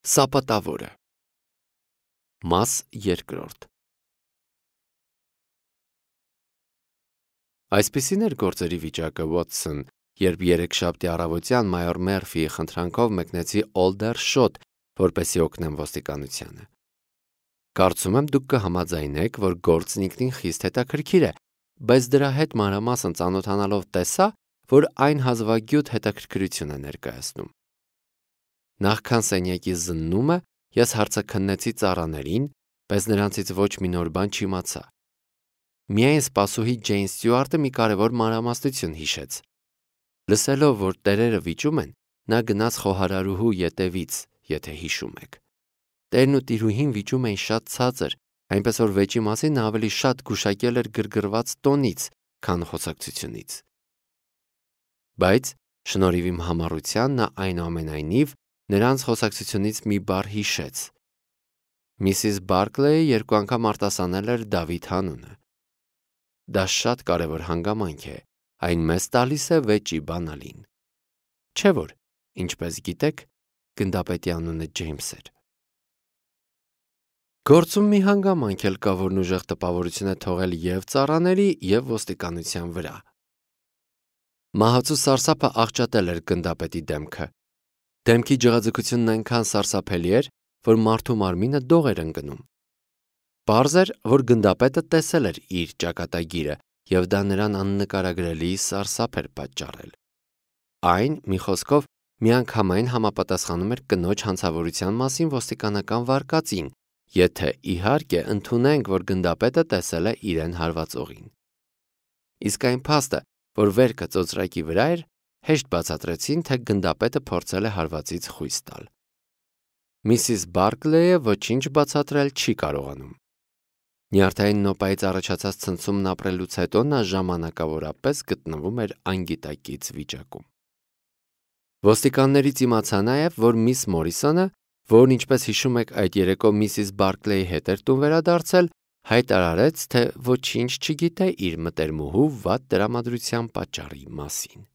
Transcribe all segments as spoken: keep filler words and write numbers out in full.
Սապատավորը։ Մաս երկրորդ։ Այսպիսին էր գործերի վիճակը, Վոթսոն, երբ երեքշաբթի առավոտյան մայոր Մերֆիի խնդրանքով մեկնեցի Օլդերշոտ, որպեսզի օգնեմ ոստիկանությանը։ Կարծում եմ դուք կհամաձայնեք, որ գործն ինքնին խիստ հետաքրքիր է, բայց դրա հետ մանրամասն ծանոթանալով տեսա, որ այն հազվագյուտ հետաքրքրություն է ներկայացնում։ Նախքան սենյակի զննումը ես հարցը քննեցի ծառաներին, բայց նրանցից ոչ մի նոր բան չիմացա։ Միայն սպասուհի Ջեյն Ստյուարտը մի կարևոր մանրամասնություն հիշեց։ Լսելով, որ տերերը վիճում են, նա գնաց խոհարարուհու ետևից, եթե հիշում եք։ Տերն ու տիրուհին վիճում էին շատ ցածր, այնպես որ վեճի մասին նա ավելի շատ գուշակել էր գրգռված տոնից, քան խոսակցությունից։ Բայց շնորհիվ իմ համառության նա այնուամենայնիվ նրանց խոսակցությունից մի բառ հիշեց։ Միսիս Բարքլեյը երկու անգամ արտասանել էր Դավիթ անունը։ Դա շատ կարևոր հանգամանք է, այն մեզ տալիս է վեճի բանալին։ Չէ՞ որ, ինչպես գիտեք, գնդապետի անունը Ջեյմս էր։ Գործում մի հանգամանք էլ կա, որն ուժեղ տպավորություն է թողել և ծառաների, և ոստիկանության վրա։ Մահացու սարսափը աղճատել էր գնդապետի դեմքը։ Դեմքի ջղաձգությունն այնքան սարսափելի էր, որ մարդու մարմինը դող էր ընկնում։ Պարզ էր, որ գնդապետը տեսել էր իր ճակատագիրը, և դա նրան աննկարագրելի սարսափ էր պատճառել։ Այն, մի խոսքով, միանգամայն համապատասխանում էր կնոջ հանցավորության մասին ոստիկանական վարկածին, եթե, իհարկե, ընդունենք, որ գնդապետը տեսել է իրեն հարվածողին։ Իսկ այն փաստը, որ վերքը ծոծրակի վրա էր, հեշտ բացատրեցին, թե գնդապետը փորձել է հարվածից խույս տալ։ Միսիս Բարքլեյը ոչինչ բացատրել չի կարողանում։ Նյարդային նոպայից առաջացած ցնցումն ապրելուց հետո նա ժամանակավորապես գտնվում էր անգիտակից վիճակում։ Ոստիկաններից իմացա նաև, որ միս Մորիսոնը, որն ինչպես հիշում եք այդ երեկո միսիս Բարքլեյի հետ էր տուն վերադարձել, հայտարարեց, թե ոչինչ չգիտե իր մտերմուհու վատ տրամադրության պատճառի մասին։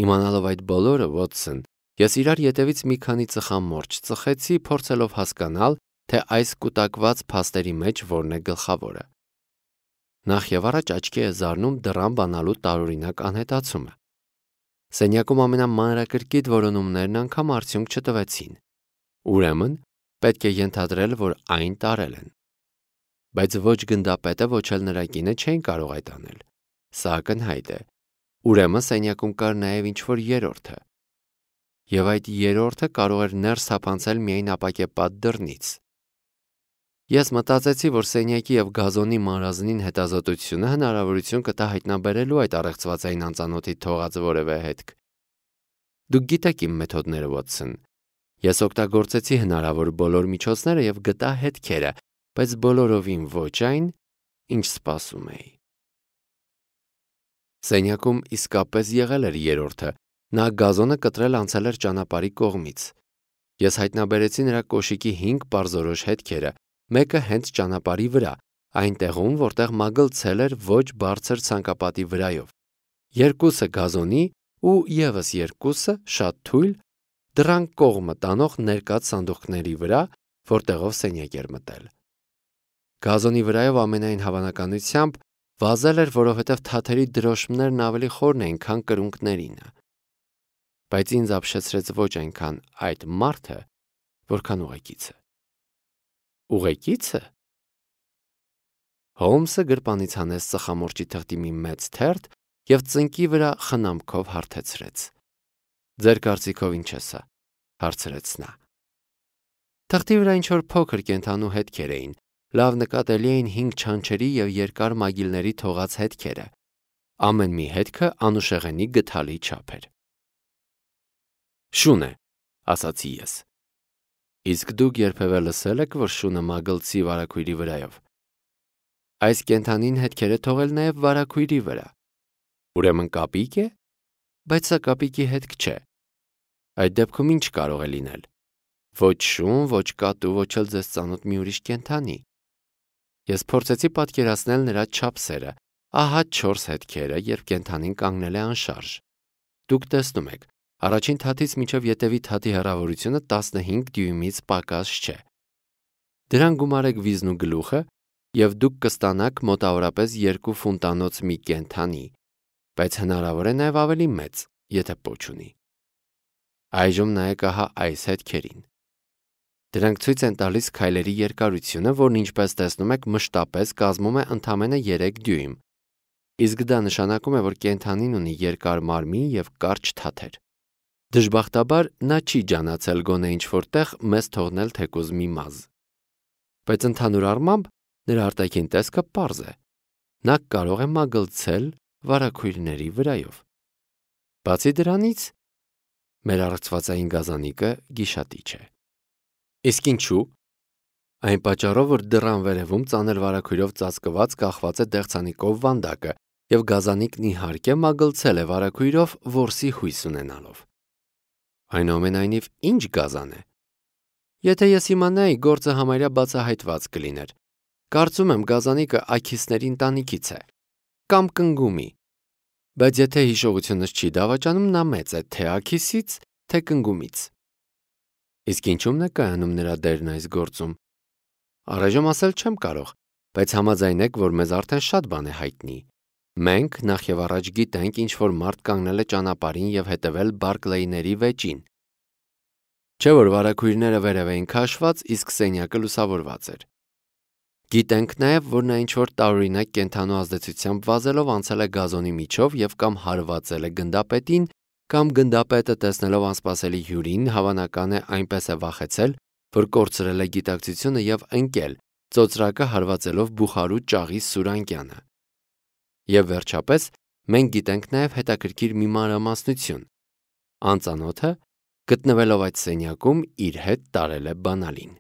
Իմանալով այդ բոլորը, Վոթսոն, ես իրար ետևից մի քանի ծխամորճ ծխեցի, փորձելով հասկանալ, թե այս կուտակված փաստերի մեջ որն է գլխավորը։ Նախ եւ առաջ աչքի է զարնում դռան բանալու տարօրինակ անհետացումը։ Սենյակում ամենամանրակրկիտ որոնումներն անգամ արդյունք չտվեցին։ Ուրեմն, պետք է ենթադրել, որ այն տարել են։ Բայց ոչ գնդապետը, ոչ էլ նրա կինը չէին կարող այդ անել։ Սա ակնհայտ է։ Ուրեմն սենյակում կար նաև ինչ-որ երրորդը։ Եվ այդ երրորդը կարող էր ներս թափանցել միայն ապակեպատ դռնից։ Ես մտածեցի, որ սենյակի և գազոնի մարազնին հետազոտությունը հնարավորություն կտա հայտնաբերելու այդ առեղծվածային անծանոթի թողած որևէ հետք։ Դուք գիտեք իմ մեթոդները, Վոթսոն։ Ես օգտագործեցի հնարավոր բոլոր միջոցները և գտա հետքերը, բայց բոլորովին ոչ այն, ինչ սպասում էի։ Սենյակում իսկապես եղել էր երրորդը, նա գազոնը կտրել անցել էր ճանապարհի կողմից։ Ես հայտնաբերեցի նրա կոշիկի հինգ պարզորոշ հետքերը, մեկը հենց ճանապարհի վրա, այնտեղում, որտեղ մագլցել էր ոչ բարձր ցանկապատի վրայով, երկուսը գազոնի ու ևս երկուսը շատ թույլ դռան կողմը տանող ներկած սանդուղքների վրա, որտեղով սենյակ էր մտել։ Գազոնի վրայով ամենայն հավանականությամբ վազել էր, որովհետև թաթերի դրոշմներն ավելի խորն էին, քան կրունկներինը։ Բայց ինձ ապշեցրեց ոչ այնքան այդ մարդը, որքան ուղեկիցը։ Ուղեկիցը։ Հոլմսը գրպանից հանեց ծխամորճի թղթի մի մեծ թերթ և ծնկի վրա խնամքով հարթեցրեց։ Ձեր կարծիքով ինչ է սա, հարցրեց նա։ Թղթի վրա ինչ-որ փոքր կենդանու հետքեր էին, լավ նկատելի էին հինգ չանչերի և երկար մագիլների թողած հետքերը։ Ամեն մի հետքը անուշեղենի գթալի չափ էր։ Շուն է, ասացի ես։ Իսկ դուք երբևէ լսել եք, որ շունը մագլցի վարագույրի վրայով։ Այս կենդանին հետքեր է թողել նաև վարագույրի վրա։ Ուրեմն կապիկ է, բայց սա կապիկի հետք չէ։ Այդ դեպքում ինչ կարող է լինել։ Ոչ շուն, ոչ կատու, ոչ էլ ձեզ ծանոթ մի ուրիշ կենդանի։ Ես փորձեցի պատկերացնել նրա չափսերը, ահա չորս հետքերը, երբ կենդանին կանգնել է անշարժ։ Դուք տեսնում եք, Առաջին թաթից մինչև ետևի թաթի հեռավորությունը տասնհինգ դյույմից պակաս չէ։ Դրան գումարեք վիզն ու գլուխը, եւ դուք կստանաք մոտավորապես երկու ֆունտանոց մի կենդանի, բայց հնարավոր է նաև ավելի մեծ, եթե պոչ ունի։ Այժմ նայեք ահա այս հետքերին։ Դրանք ցույց են տալիս քայլերի երկարությունը, որն ինչպես տեսնում եք մշտապես կազմում է ընդամենը երեք դյույմ, իսկ դա նշանակում է, որ կենդանին ունի երկար մարմին եւ կարճ թաթեր։ Դժբախտաբար նա չի ջանացել գոնե ինչ-որտեղ մեզ թողնել թեկուզ մի մազ։ Բայց ընդհանուր առմամբ նրա արտաքին տեսքը պարզ է։ Նա կարող է մագլցել վարագույրների վրայով։ Բացի դրանից, մեր առողջվածային գազանիկը գիշատիչ է։ Իսկ ինչու՞։ Այն պատճառով, որ դռան վերևում ծանր վարագույրով ծածկված կախված է դեղցանիկով վանդակը, եւ գազանիկն իհարկե մագլցել է վարագույրով որսի հույս ունենալով։ Այնուամենայնիվ, ինչ գազան է։ Եթե ես իմանայի, գործը համարյա բացահայտված կլիներ։ Կարծում եմ գազանիկը աքիսների ընտանիքից է, կամ կնգումի, բայց եթե հիշողությունս չի դավաճանում, նա մեծ է թե աքիսից, թե կնգումից։ Իսկ ինչու՞մն է կայանում նրա դերն այս գործում։ Առայժմ ասել չեմ կարող, բայց համաձայնեք, որ մեզ արդեն շատ բան է հայտնի։ Մենք նախ եւ առաջ գիտենք, ինչ որ մարդ կանգնել է ճանապարհին եւ հետևել Բարկլեյների վեճին։ Չէ՞ որ վարագույրները վերև էին քաշված, իսկ սենյակը լուսավորված էր։ Գիտենք նաև, որ նա ինչ-որ տարօրինակ կենդանու ազդեցությամբ վազելով անցել է գազոնի միջով եւ կամ հարվածել է գնդապետին, կամ գնդապետը տեսնելով անսպասելի հյուրին, հավանական է այնպես է վախեցել, որ կորցրել է գիտակցությունը եւ ընկել, ծոծրակը հարվածելով բուխարու ճաղի սուրանկյանը։ Եվ վերջապես, մենք գիտենք նաև հետաքրքիր մի մանրամասնություն։ Անծանոթը, գտնվելով այդ սենյակում, իր հետ տարել է բանալին։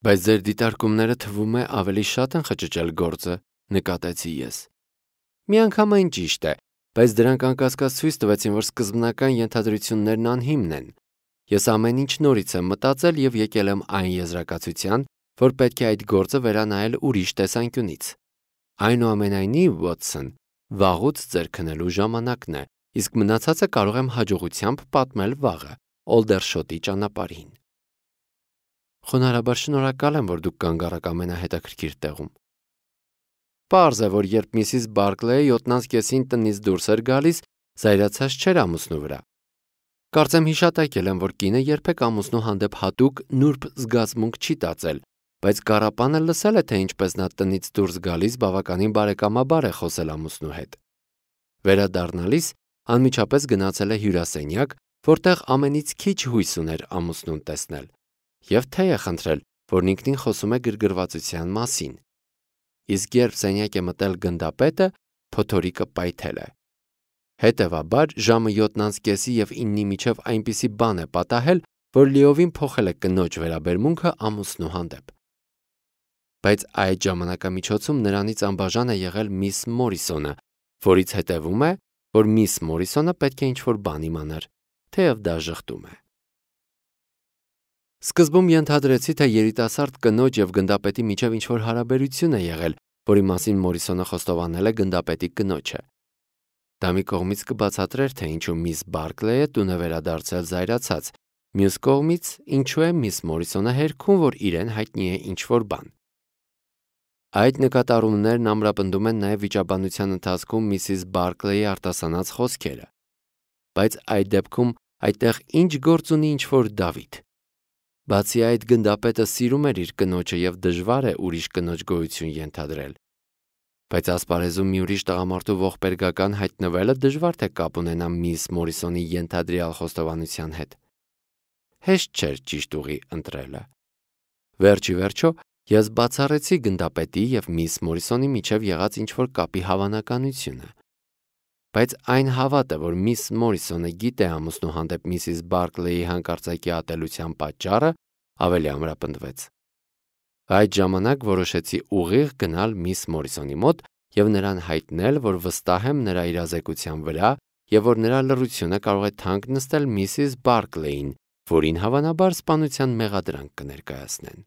Բայց ձեր դիտարկումները թվում է ավելի շատ են խճճել գործը, նկատեցի ես։ Միանգամայն ճիշտ է, բայց դրանք անկասկած ցույց տվեցին, որ սկզբնական ենթադրություններն անհիմն են։ Ես ամեն ինչ նորից եմ մտածել եւ եկել եմ այն եզրակացության, որ պետք է այդ գործը վերանայել ուրիշ տեսանկյունից։ Այնուամենայնիվ, Վոթսոն, վաղուց ձեր քնելու ժամանակն է, իսկ մնացածը կարող եմ հաջողությամբ պատմել վաղը, Օլդերշոտի ճանապարհին։ Խոնարհաբար շնորհակալ եմ, որ դուք կանգ առաք ամենահետաքրքիր տեղում։ Պարզ է, որ երբ միսիս Բարկլեյը յոթնանց կեսին տնից դուրս էր գալիս, զայրացած չէր ամուսնու վրա։ Կարծեմ հիշատակել եմ, որ կինը երբեք ամուսնու հանդեպ հատուկ նուրբ զգացմունք չի տածել, բայց Կարապանը լսել է, թե ինչպես նա տնից դուրս գալիս բավականին բարեկամաբար է խոսել ամուսնու հետ։ Վերադառնալիս անմիջապես գնացել է հյուրասենյակ, որտեղ ամենից քիչ հույս ուներ ամուսնուն տեսնել, եւ թե է խնդրել, որն ինքնին խոսում է գրգռվածության մասին։ Իսկ երբ սենյակ է մտել գնդապետը, փոթորիկը պայթել է։ Հետևաբար ժամը յոթնանց կեսի եւ իննի միջև այնպիսի բան է պատահել, որ լիովին փոխել է կնոջ վերաբերմունքը ամուսնու հանդեպ։ Բայց այդ ժամանակամիջոցում նրանից անբաժան է եղել միս Մորիսոնը, որից հետևում է, որ միս Մորիսոնը պետք է ինչ-որ բան իմանար, թեև դա ժխտում է։ Սկզբում ենթադրեցի, թե երիտասարդ կնոջ եւ գնդապետի միջև ինչ-որ հարաբերություն է եղել, որի մասին Մորիսոնը խոստովանել է գնդապետի կնոջը։ Դա մի կողմից կբացատրեր, թե ինչու միս Բարկլեյը տուն է վերադարձել զայրացած, մյուս կողմից ինչու է միս Մորիսոնը հերքում, որ իրեն հայտնի է ինչ-որ բան։ Այդ նկատառումներն ամրապնդում են նաև վիճաբանության ընթացքում միսիս Բարկլեյի արտասանած խոսքերը։ Բայց այդ դեպքում այդտեղ ինչ գործ ունի ինչ-որ Դավիթ։ Բացի այդ, գնդապետը սիրում էր իր կնոջը եւ դժվար է ուրիշ կնոջ գոյություն ենթադրել։ Բայց ասպարեզում մի ուրիշ տղամարդու ողբերգական հայտնվելը դժվար թե կապ ունենա միս Մորիսոնի ենթադրյալ խոստովանության հետ։ Հեշտ չէր ճիշտ ուղի ընտրելը։ Վերջի վերջո ես բացառեցի գնդապետի եւ միս Մորիսոնի միջև եղած ինչ-որ կապի հավանականությունը։ Բայց այն հավատը, որ միս Մորիսոնը գիտե ամուսնու հանդեպ միսիս Բարկլեյի հանկարծակի ատելության պատճառը, ավելի ամրապնդվեց։ Այդ ժամանակ որոշեցի ուղիղ գնալ միս Մորիսոնի մոտ եւ նրան հայտնել, որ վստահ եմ նրա իրազեկության վրա եւ որ նրա լռությունը կարող է թանկ նստել միսիս Բարկլեյին, որին հավանաբար սպանության մեղադրանք կներկայացնեն։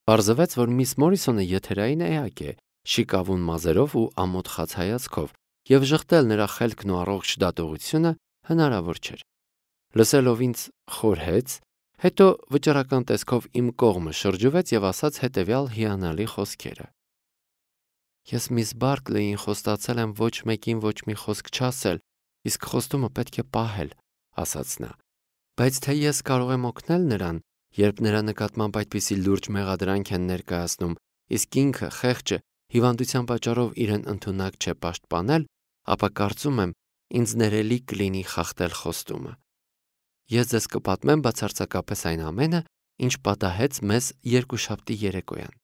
Պարզվեց, որ միս Մորիսոնը եթերային էակ է, շիկավուն մազերով ու ամոթխած հայացքով, եւ ժխտել նրա խելքն ու առողջ դատողությունը հնարավոր չէր։ Լսելով ինձ խորհեց, հետո վճռական տեսքով իմ կողմը շրջվեց եւ ասաց հետեւյալ հիանալի խոսքերը. Ես միս Բարքլեյին խոստացել եմ ոչ մեկին ոչ մի խոսք չասել, իսկ խոստումը պետք է պահել, ասաց նա։ Բայց թե ես կարող եմ օգնել նրան, երբ նրա նկատմամբ այդպիսի լուրջ մեղադրանք են ներկայացնում, իսկ ինքը խեղճը հիվանդության պատճառով իրեն ընդունակ չէ պաշտպանել, ապա կարծում եմ, ինձ ներելի կլինի խախտել խոստումը։ Ես ձեզ կպատմեմ բացարձակապես այն ամենը, ինչ պատահեց մեզ երկուշաբթի երեկոյան։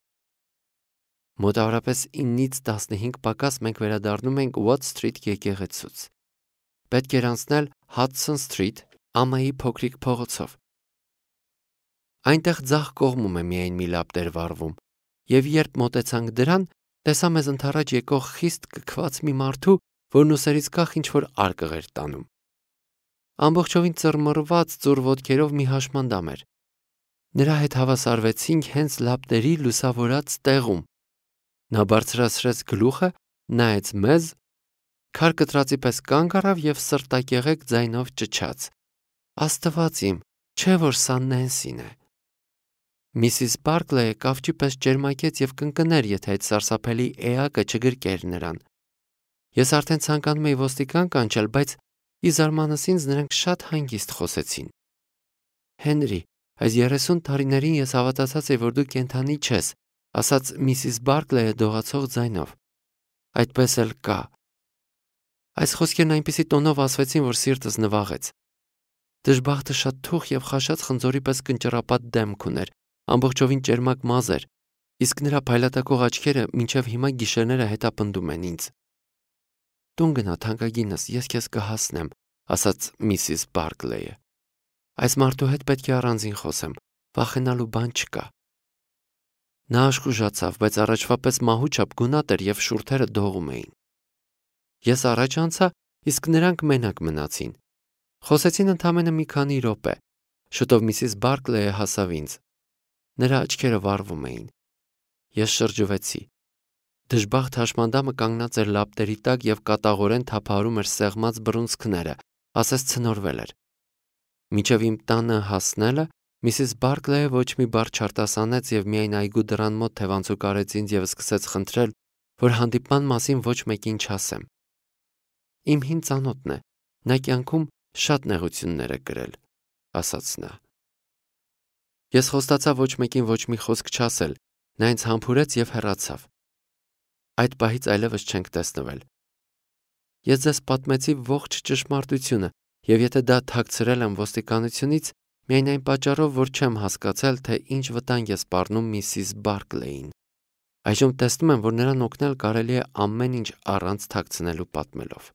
Մոտավորապես իննից տասնհինգ պակաս մենք վերադառնում ենք Watt Street եկեղեցուց։ Պետք էր անցնել Hudson Street ամայի փոքրիկ փողոցով։ Այնտեղ ձախ կողմում է միայն մի լապտեր վառվում, եւ երբ մոտեցանք դրան, տեսա մեզ ընդառաջ եկող խիստ կքված մի մարդու, որն ուսերից կախ ինչ-որ արկղ էր տանում։ Ամբողջովին ծռմռված ծուռ ոտքերով մի հաշմանդամ էր։ Նրա հետ հավասարվեցինք հենց լապտերի լուսավորած տեղում։ Նա բարձրացրեց գլուխը, նայեց մեզ, քար կտրածի պես կանգ առավ եւ սրտակեղեկ ձայնով ճչաց. Աստված իմ, չէ որ սա Նենսին է։ Միսիս Բարքլեյը կավճի պես ճերմակեց եւ կնկներ, եթե այդ սարսափելի էակը չգրկեր նրան։ Ես արդեն ցանկանում էի ոստիկան կանչել, բայց ի զարմանս ինձ նրանք շատ հանգիստ խոսեցին։ Հենրի, այս երեսուն տարիներին ես հավատացած էի, որ դու կենդանի չես, ասաց միսիս Բարքլեյը դողացող ձայնով։ Այդպես էլ կա։ Այս խոսքերն այնպիսի տոնով ասվեցին, որ սիրտս նվաղեց։ Դժբախտը շատ թուխ եւ խաշած խնձորի պես կնճռապատ դեմք ուներ, ամբողջովին ճերմակ մազ էր, իսկ նրա փայլատակող աչքերը մինչև հիմա գիշերները հետապնդում են ինձ։ Տուն գնա, թանկագինս, ես քեզ կհասնեմ, ասաց միսիս Բարքլեյը։ Այս մարդու հետ պետք է առանձին խոսեմ, վախենալու բան չկա։ Նա աշխուժացավ, բայց առաջվա պես մահու չափ գունատ էր եւ շուրթերը դողում էին։ Ես առաջ անցա, իսկ նրանք մենակ մնացին։ Խոսեցին ընդամենը մի քանի րոպե։ Շուտով միսիս Բարքլեյը հասավ ինձ։ Նրա աչքերը վառվում էին։ Ես շրջվեցի։ Դժբախտ հաշմանդամը կանգնած էր լապտերի տակ եւ կատաղորեն թափահարում էր սեղմած բռունցքները, ասես ցնորվել էր։ Մինչև իմ տանը հասնելը միսիս Բարքլեյը ոչ մի բառ չարտասանեց եւ միայն այգու դռան մոտ թևանցուկ արեց ինձ եւ սկսեց խնդրել, որ հանդիպման մասին ոչ մեկին չասեմ։ Իմ հին ծանոթն է, նա կյանքում շատ նեղություններ է կրել, ասաց նա։ Ես խոստացա ոչ մեկին ոչ մի խոսք չասել, նա ինձ համբուրեց եւ հեռացավ։ Այդ պահից այլևս չենք տեսնվել։ Ես ձեզ պատմեցի ողջ ճշմարտությունը, եւ եթե դա թաքցրել եմ ոստիկանությունից, միայն այն պատճառով, որ չեմ հասկացել, թե ինչ վտանգ է սպառնում միսիս Բարքլեյին։ Այժմ տեսնում եմ, որ նրան օգնել կարելի է ամեն ինչ առանց թաքցնելու պատմելով։